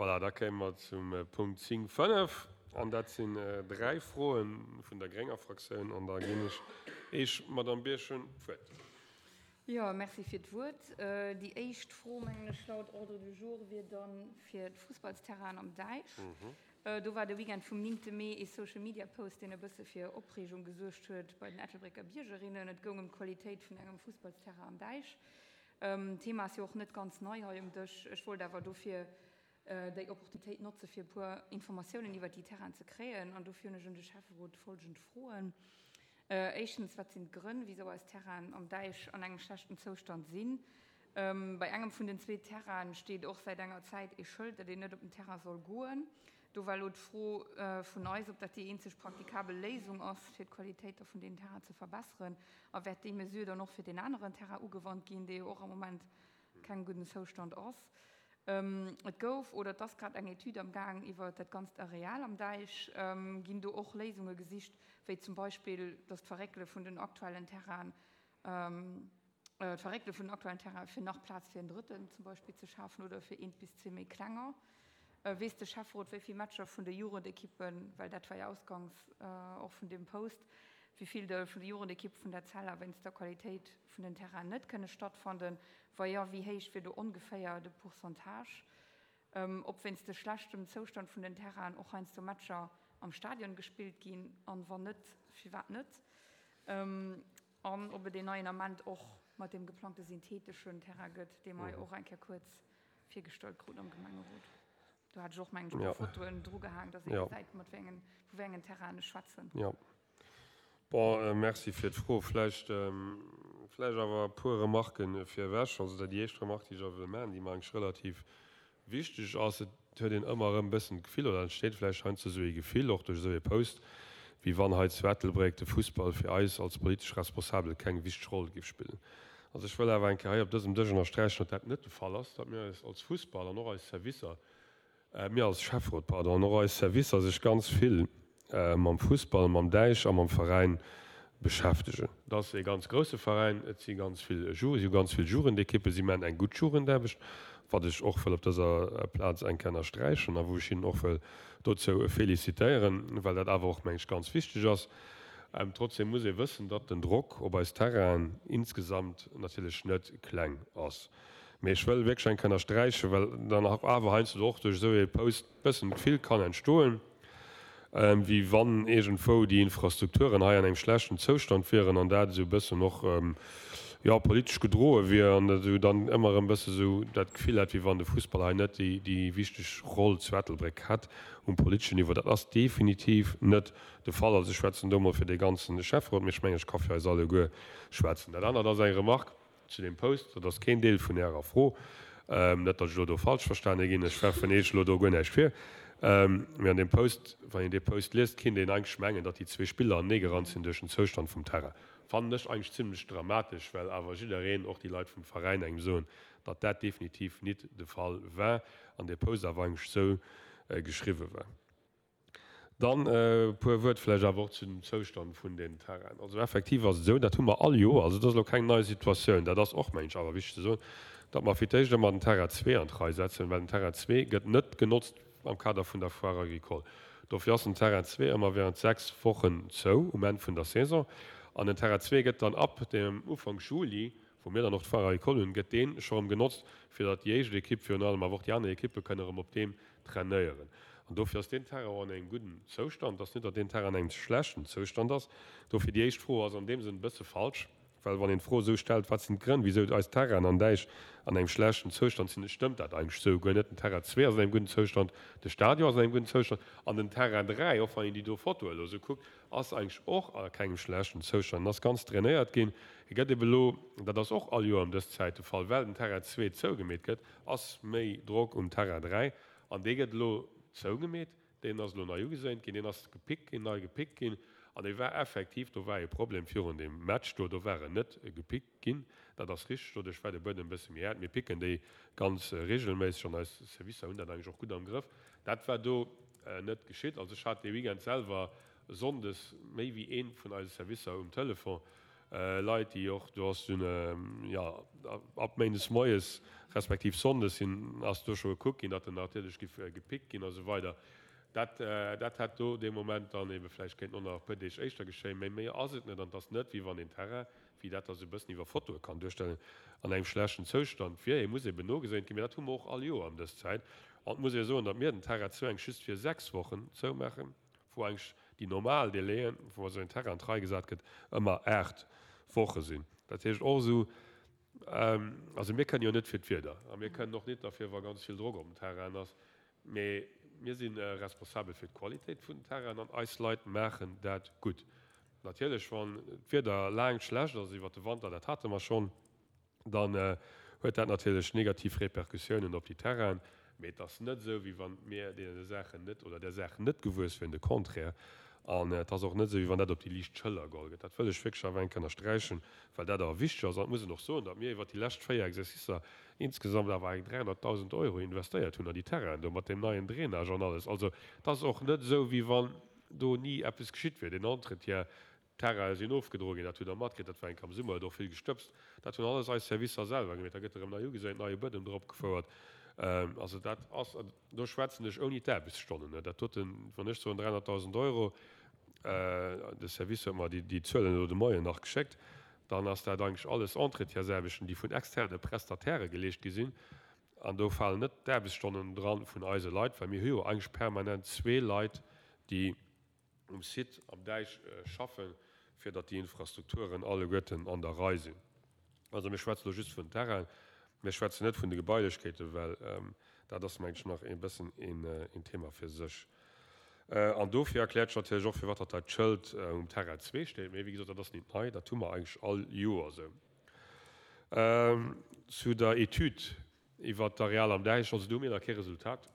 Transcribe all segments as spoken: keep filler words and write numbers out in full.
Voilà, da kéime mer zum Punkt zéng fënnef, an dat sinn dräi Froe vun der grénger Fraktioun, an da ginn ech Iech, Madamm Birchen, d'Wuert. Jo, merci fir d'Wuert. Déi éischt Fro, mengen ech, laut Ordre du jour wier dann fir d'Fussballsterrainen am Däich. Do war de Weekend vum néngte Mee ee Social-Media-Post, deen e bësse fir Opreegung gesuergt huet bei den Ettelbrécker Biergerinnen. Et goung ëm d'Qualitéit vun engem Fussballsterrain am Däich. D'Thema ass jo och net ganz nei hei um Dësch. Ech wollt awer dofir déi Opportunitéit notze fir e puer Informatiounen iwwert déi Terrainen ze kréien. An dofir hunn ech un de Schäfferot folgend Froen. Éischtens, wat sinn d'Grënn, wisou eis Terrainen am Däich an engem schlechten Zoustand sinn? Bei engem vun den zwee Terrainen steet och säit enger Zäit ee Schëld, datt een net op den Terrain soll goen. Do war elo d'Fro vun eis, ob dat déi eenzeg praktikabel Léisung ass, fir d'Qualitéit da vun deenen Terrainen ze verbesseren. A wäert déi Mesure dann och fir deen aneren Terrain ugewannt ginn, dee jo och am Moment kengem gudden Zoustand ass? Et gouf oder et ass grad eng Etüd am Gaang iwwer dat ganzt Areal am Däich. Ginn do och Léisunge gesicht, wéi zum Beispill, datt d'Verréckele vun den aktuellen Terrainen, d'Verréckele vun den aktuellen Terrainen, fir nach Plaz fir en drëtten zum Beispill ze schafen oder fir eent bis zwee méi klenger? Weess de Schäfferot, wéi vill Matcher vun de Jugendekippen, well dat war jo ausgangs och vun deem Post, wéi vill de vun de Jugendekippe vun der Cella wéinst der Qualitéit vun den Terrainen net kënne stattfanden? Wa jo, wéi héich wier do ongeféier de Pourcentage? Ob wéinst de schlechtem Zoustand vun den Terrainen och heiansdo Matcher am Stadion gespillt ginn, an wann net, firwat net? An ob et een neien Ament och mat deem geplangte syntheeteschen Terrain gëtt, dee mer jo och eng Kéier kuerz virgestallt kruten am Gemengerot. Do hat ech och, mengen ech, e puer Fotoen drugehaang, dass ee gesäit, mat wéi engen, vu wéi engen Terrainen ech schwätzen. Jo. Bon, merci fir d'Fro. Vläicht, vläicht awer e puer Remarquen virewech. Also déi éischt Remarque, déi ech awer wëll maachen, déi mer eigentlech relativ wichteg ass, Et huet een ëmmer erëm e bëssen d'Gefill, oder entsteet vläicht heiansdo esou ee Gefill, och duerch esou ee Post, wéi wann hei zu Ettelbréck de Fussball fir eis als politesch Responsabel keng wichteg Roll géif spillen. Also ech wëll awer eng Kéier hei op dësem Dësch ënnersträichen, datt dat net de Fall ass, datt mir eis als Fussball an och eis Servicer, mir als Schäfferot, pardon, an och eis Servicer sech ganz vill mam Fussball, mam Däich a mam Veräin beschäftegen. Et ass ee ganz grousse Veräin, et si ganz vill Ju, si hu ganz vill Jugendekippen, si maachen eng gutt Jugendaarbecht, wat ech och wëll op dëser Plaz eng Kéier ënnersträichen a wou ech hinnen och wëll dozou félicitéieren, well dat awer och, meng ech, ganz wichteg ass. Trotzdem muss ee wëssen, datt den Drock op eis Terrainen insgesamt natierlech net kleng ass. Mee ech wëll wierklech eng Kéier ënnersträichen, well dann awer heiansdo och duerch esou ee Post e bëssen d'Gefill kann entstoen, wéi wann iergendwou déi Infrastrukturen hei an engem schlechten Zoustand wieren an dat esou e bëssen och, jo, politesch gedroe wier an dat esou dann ëmmer erëm e bësse esou dat Gefill hätt, wéi wann de Fussball hei net déi, déi wichteg Roll zu Ettelbréck hätt um politeschen Niveau. Dat ass definitiv net de Fall. Also ech schwätzen do emol fir dee ganzen Schäfferot, mee ech mengen, ech ka fir eis alleguer schwätzen. Dat anert ass eng Remarque zu deem Post, dat ass keen Deel vun Ärer Fro, net datt ech elo do falsch verstane ginn, ech werfen Iech elo do guer näischt vir, mee an deem Post, wann een dee Post liest, kinnt een eigentlech mengen, datt déi zwee Spiller aneneegerannt sinn duerch den Zoustand vum Terrain. Fannen ech eigentlech zimlech dramatesch, well awer jiddereen, och déi Leit vum Veräin, engem soen, datt dat definitiv nit de Fall war an dee Post awer eigentlech esou geschriwwe war. Dann e puer Wuert vläicht awer och zu dem Zoustand vun den Terrainen. Also effektiv ass et esou, dat hu mer all Joer, also dat ass elo keng nei Situatioun, dat ass och, mengen ech, awer wichteg ze soen, datt mer fir d'éischt ëmmer den Terrain zwee an d'Rei setzen, well den Terrain zwee gëtt net genotzt am Kader vun der Foire agricole. Dofir ass den Terrain zwee ëmmer während sechs Wochen zou um Enn vun der Saison. An den Terrain zwee gëtt dann ab dem Ufank Juli, wou mir dann och d'Foire agricole hunn, gëtt dee scho erëm genotzt, fir datt déi éischt Ekipp virun allem, awer och déi aner Ekippe kënnen erëm op deem trainéieren. An dofir ass deen Terrain och an engem gudden Zoustand. Et ass net, datt deen Terrain an engem schlechten Zoustand ass. Dofir déi éischt Fro ass an deem Sënn e bësse falsch, well wann een d'Fro esou stellt, wat sinn d'Grënn, wisou eis Terrainen an Däich an engem schlechten Zoustand sinn, stëmmt dat eigentlech esou guer net. Den Terrain zwee ass an engem gudden Zoustand, de Stadion ass an engem gudden Zoustand an den Terrain dräi, och wann een déi do Fotoe elo esou kuckt, ass eigentlech och a kengem schlechten Zoustand en ass ganz drainéiert ginn. E gëtt ebe elo, dat ass och all Joer ëm dës Zäit de Fall, well den Terrain zwee zougemeet gëtt, ass méi Drock um Terrain dräi an dee gëtt elo zougemeet, deen ass elo nei ugeséint ginn, deen ass gepickt ginn, nei gepickt ginn an dee war effektiv, do war ee Problem virun deem Match do, do war en net gepickt ginn, dat ass richteg, doduerch war de Buedem e bësse méi haart. Mir picken déi ganz regelméisseg an eis Servicer hunn dat eigentlech och gutt am Grëff. Dat war do net geschitt. Also ech hat dee Weekend selwer sonndes méi wéi ee vun eise Servicer um Telefon, Leit, déi och, do ass dunn, jo, ab méindes moies respektiv sonndes sinn, ass do scho gekuckt ginn, datt en natierlech giff gepickt ginn a sou weider. Dat, dat hätt do dee Moment dann ebe vläicht kéinten och nach e puer Deeg éischter geschéien, mä méi ass et net. An et ass net, wéi wann een Terrain, wéi dat da sou e bëssen iwwer Fotoe kann duerstellen, an engem schlechten Zoustand wier. E muss eben nogeséint ginn, mä dat hu mer och all Joer ëm dës Zäit. An et muss ee soen, datt mir den Terrain zou eng just fir sechs Wochen zoumaachen, wou eigentlech déi normal Délaiën, wou esou en Terrain an d'Rei gesat gëtt, ëmmer aacht Woche sinn. Dat heescht och esou, also mir kënnen jo net fir d'Wieder a mir kënnen och net derfir, wa ganz vill Drock op dem Terrain ass, mee mir si responsabel fir d'Qualitéit vun den Terrainen an eis Leit maachen dat gutt. Natierlech, wann d'Wieder laang schlecht ass iwwert de Wanter, dat hate mer schonn, dann huet dat natierlech negativ Repercussiounen op déi Terrainen. Mee et ass net esou, wéi wann mir deene Saachen net oder där Saach net gewuess wieren, de Contraire. An et ass och net esou, wéi wann dat op déi liicht Schëller geholl gëtt. Dat wëll ech wierklech awer eng Kéier ënnersträichen, well dat awer wichteg ass. An et muss een och soen, datt mir iwwert déi lescht véier Exercicer insgesamt awer eng dräihonnertdausend Euro investéiert hunn an déi Terrainen do mat deem neien Drainage an alles. Also et ass och net esou, wéi wann do ni eppes geschitt wier. Deen Entretien, D'Terrainen sinn ofgedroe ginn, dat hutt Der matkritt, dat war enk am Summer, huet och vill gestëbst. Dat hunn alles eis Servicer selwer gemeet. Da gëtt erëm nei ugeséint, neie Buedem drop gefouert. Also dat ass, an do schwätzen ech ouni d'Aarbechtsstonnen, dat doten, wann ech soen dräihonnertdausend Euro, de Service huet mer déi Zuelen elo de Moien nach geschéckt, dann ass dat eigentlech alles Entretiensaarbechten, déi vun externe Prestatairë geleescht gi sinn. An do falen net d'Aarbechtsstonnen dran vun eise Leit, well mir hu jo eigentlech permanent zwee Leit, déi um Site am Däich schaffen, fir datt déi Infrastrukturen alleguerten an der Rei sinn. Also mir schwätzen elo just vun Terrainen, mir schwätzen net vun de Gebailechkeeten, well dat ass, mengen ech, nach e bëssen een Thema fir sech. An dofir erkläert sech natierlech och, firwat datt dat Schëld um Terrain zwee steet. Mee wéi gesot, dat ass nit nei, dat hu mer eigentlech all Joer esou. Zu der Etüd iwwert d'Areal am Däich, also do hu mir nach kee Resultat.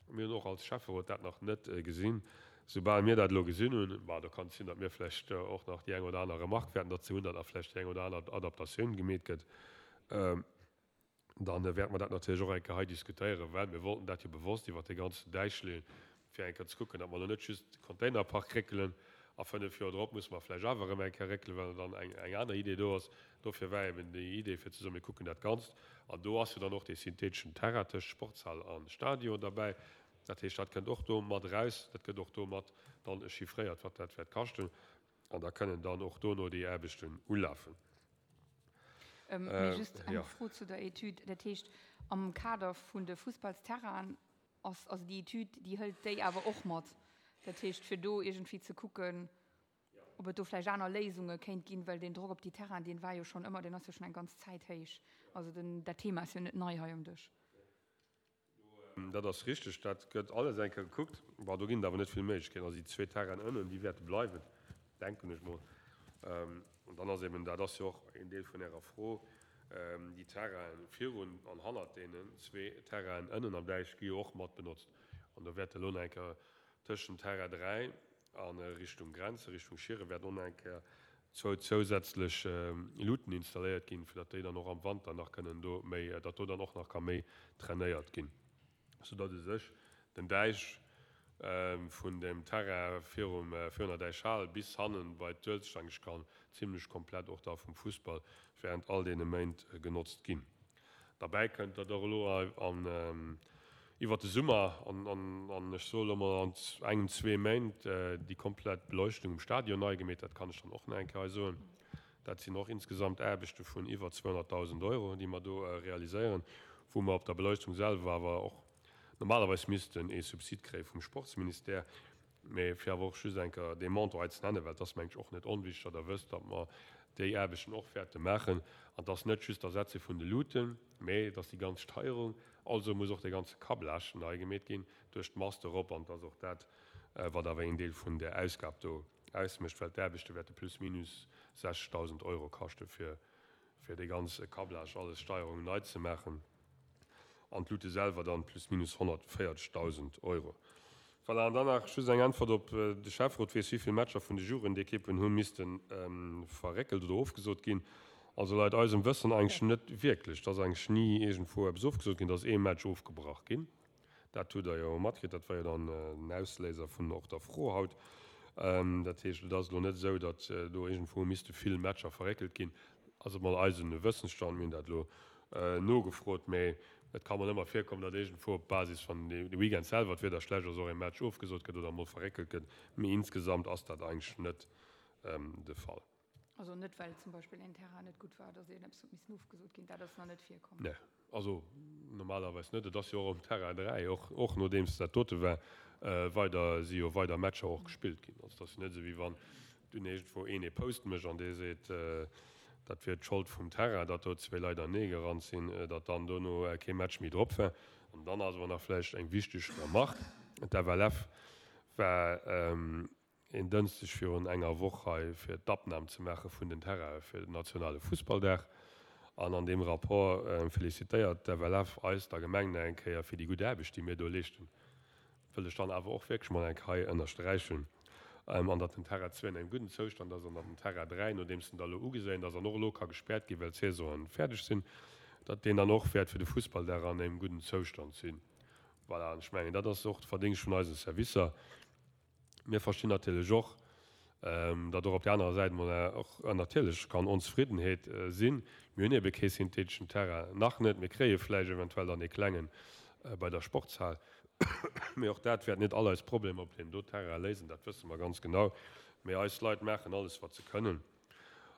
Mir hunn och als Schäfferot dat nach net gesinn. Soubal mir dat elo gesinn hunn, bah, do kann et sinn, datt mir vläicht och nach déi eng oder aner Remarque wäerten derzou hunn, datt nach vläicht déi eng oder aner Adaptatioun gemeet gëtt, dann wäerte mer dat natierlech och eng Kéier hei diskutéieren, well mir wollten dat jo bewosst iwwert dee ganzen Däich leeën, fir eng Kéier ze kucken, datt mer elo net just de Containerpark réckelen a fënnef Joer drop musse mer vläicht awer erëm eng Kéier réckelen, well dann eng aner Idee do ass. Dofir war eben déi Idee, fir ze soen, mir kucken dat Ganzt. An do ass jo dann och dee syntheeteschen Terrain tëscht Sportshal a Stadion derbäi. Dat heescht, dat kënnt och do mat eraus. Dat gëtt och do mat dann chiffréiert, wat dat wäert kaschten. An da kënnen dann och dono déi Aarbechten ulafen. Mee just eng Fro zu der Etüd. Dat heescht, am Kader vun de Fussballsterrainen ass, also déi Etüd, déi hëlt déi awer och mat? Dat heescht, fir do iergendwéi ze kucken, ob et do vläicht aner Léisunge kéint ginn, well deen Drock op déi Terrainen, dee war jo schonn ëmmer, deen ass jo schonn eng ganz Zäit héich. Also den, dat Thema ass jo net nei hei um Dësch. Dat ass richteg, dat gëtt alles eng Kéier gekuckt. Bon, do ginn et awer net vill Méiglechkeeten. Also déi zwee Terrainen ënnen, déi wäerte bleiwen, denken ech mol. An dann ass eben, dat ass jo och een Deel vun Ärer Fro, déi Terrainen virun an hannert deenen zwee Terrainen ënnen am Däich gi jo och mat benotzt. An do wäerte elo nach eng Kéier tëschent Terrain dräi a Richtung Grenze, Richtung Schieren, wäerten och nach eng Kéier zwou zousätzlech Luuten installéiert ginn, fir datt déi dann och am Wanter nach kënnen do méi, datt do dann och nach ka méi trainéiert ginn, soudatt u sech den Däich vun dem Terrain virum, virun der Däichhal bis hannen bei d'Uelzecht eigentlech kann zimlech komplett och da vum Fussball während all deene Méint genotzt ginn. Derbäi kënnt, datt och elo an iwwert de Summer an, an ech soe lo mol an engem, zwee Méint déi komplett Beleuchtung um Stadion nei gemeet, dat kann ech dann och nach eng Kéier hei soen. Dat sinn och insgesamt Aarbechte vun iwwer zweehonnertdausend Euro, déi mer do realiséieren, wou mer op der Beleuchtung selwer awer och normalerweis missten ee Subsid kréie vum Sportsministère. Mee fir awer och just eng Kéier dee Montant hei ze nennen, well et ass, mengen ech, och net onwichtig, datt Der wësst, datt mer déi Aarbechten och wäerte maachen. An et ass net just d'Ersetze vun de Luuten, mee et ass déi ganz Steierung. Also muss och dee ganze Câblage nei gemeet ginn duerch d'Mast erop. An et ass och dat, wat awer een Deel vun där Ausgab do ausmécht, well d'Aarbechte wäerte plus minus sechzegdausend Euro kaschte fir dee ganze Câblage, alles Steierungen nei ze maachen. An d'Luute selwer dann plus minus honnertvéierzegdausend Euro. Voilà, an dann nach just eng Äntwert op de Schäfferot weess, wéi vill Matcher vun de Jugendekippen hu misste verréckelt oder ofgesot ginn. Also leit eisem Wëssen eigentlech net wierklech. Et ass eigentlech ni iergendwou eppes ofgesot ginn. Et ass ee Match ofgebrach ginn. Dat hutt Der jo matkritt. Dat war jo dann den Ausléiser vun och der Fro haut. Dat heescht, et ass elo net esou, datt do iergendwou misste vill Matcher verréckelt ginn. Ass emol eisen Wëssensstand, mir hunn dat elo nogefrot, mee et ka mol ëmmer virkommen, datt iergendwou op Basis van de Weekend selwer d'Wieder schlecht ass, och ee Match ofgesot gëtt oder emol verréckelt gëtt. Mee insgesamt ass dat eigentlech net de Fall. Also net well zum Beispill een Terrain net gutt war, datt iergendeppes huet missen ofgesot ginn, dat ass nach net virkomm? Nee, also normalerweis net. Et ass jo och um Terrain dräi, och och nodeems dat dote war, weider si jo weider Matcher och gespillt ginn. Also et ass jo net esou wéi wann dunn iergendwou een ee Post mécht an dee seet, dat wier d'Schold vum Terrain, datt do zwee Leit anee gerannt sinn, datt dann dono kee Match méi drop war. An dann ass awer nach vläicht eng wichteg Remarque, D'FLF war een Dënschdeg virun enger Woch hei fir d'Abnam ze maache vun den Terrainen fir den nationale Fussballdag. An an deem Rapport felicitéiert d'FLF eis, der Gemeng, nach eng Kéier fir déi gutt Aarbecht, déi mir do leeschten. Wëll ech dann awer och wierklech mol eng Kéier hei ënnersträichen. An datt den Terrain zwee an engem gudden Zoustand ass an datt den Terrain dräi, nodeems en da elo ugeséint ass an och elo ka gespäert ginn, well d'Saisonen fäerdeg sinn, datt deen dann och wäert fir de Fussballdag an engem gudden Zoustand sinn. Voilà, an ech mengen, dat ass och de Verdéngscht vun eise Servicer. Mir verstinn natierlech och, datt och op där anerer Säit emol och natierlech kann Onzefriddenheet sinn. Mir hunn ebe kee syntheteschen Terrain, nach net. Mir kréie vläicht eventuell dann ee klengen bei der Sportshal. Mee och dat wäert net all eis Problemer op deem do Terrain léisen, dat wësse mer ganz genau. Mee eis Leit maachen alles, wat se kënnen.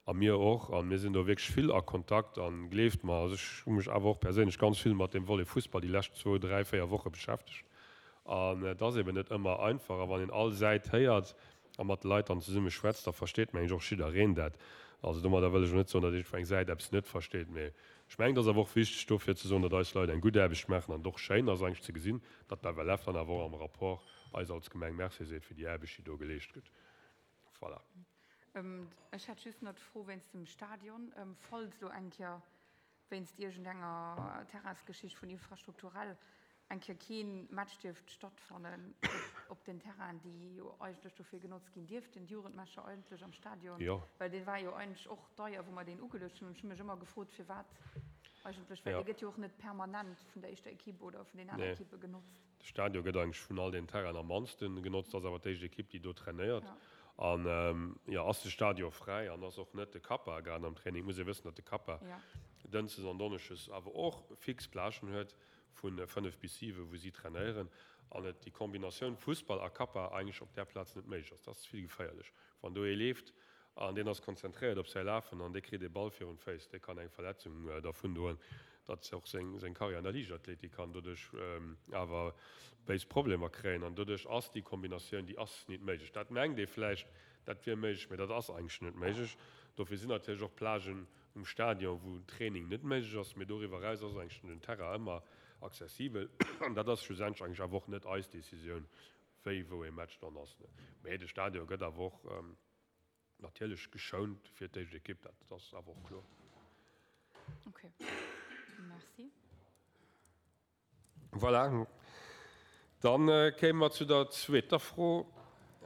A mir och. A mir sinn do wierklech vill a Kontakt. A gleeft mer, also ech hu mech awer och perséinlech ganz vill mat deem Volet Fussball déi lescht zwou, dräi, véier Woche beschäftegt. An et ass eben net ëmmer einfach. A wann een all Säit héiert a mat de Leit dann zesumme schwätzt, da versteet, mengen ech, och jiddereen dat. Also domadder wëll ech elo net soen, datt iergendwou eng Säit eppes net versteet. Mee ech mengen, et ass awer och wichteg dofir ze soen, datt eis Leit eng gutt Aarbecht maachen an et och schéin ass eigentlech ze gesinn, datt d'FLF dann awer och am Rapport eis als Gemeng Merci seet fir déi Aarbecht, déi do geleescht gëtt. Voilà. Ech hätt just nach d'Fro wéinst dem Stadion, falls elo eng Kéier wéinst iergendenger Terrainsgeschicht vun infrastrukturell eng Kéier kee Match dierft stattfannen op den Terrainen, déi jo eigentlech dofir genotzt ginn dierften, d'Jugendmatcher eigentlech am Stadion, well dee war jo eigentlech och deier, wou mer deen ugeluecht hunn. An ech hu mech ëmmer gefrot, firwat eigentlech, well dee gëtt jo och net permanent vun der éischter Equipe oder vun den aner Equippe genotzt. De Stadion gëtt eigentlech vun all den Terrainen am mannste genotzt, ass awer d'éischt Equipe, déi do trainéiert. An jo, ass de Stadion fräi an ass och net de Kappa grad am Training. Et muss ee wëssen, datt de Kappa dënschdes an donneschdes awer och fix Plagen huet vu fënnef bis siwe wou si trainéieren an et déi Kombinatioun Fussball a Kappa eigentlech op där Plaz net méiglech ass. Dat ass ze vill geféierlech. Wann do ee leeft an deen ass konzentréiert op säi Lafen an dee kritt ee Ball virun d'Féiss, dee kann eng Verletzung dervun doen, datt och seng seng Karriär an der Liichtathletik kann doduerch awer béis Problemer kréien. An doduerch ass déi Kombinatioun, déi ass nit méiglech. Dat mengt ee vläicht, dat wier méiglech, mä dat ass eigentlech net méiglech. Dofir sinn natierlech och Plagen um Stadion, wou Training net méiglech ass, mä doriwwer eraus ass eigentlech den Terrain ëmmer accessibel. An dat ass schlussendlech eigentlech awer och net eis Decisioun, wéi wou ee Match dann ass. Mä de Stadion gëtt awer och natierlech geschount fir d'éischt Ekipp, dat ass awer och kloer. Ok, merci. Voilà, dann kéime mer zu der zweeter Fro.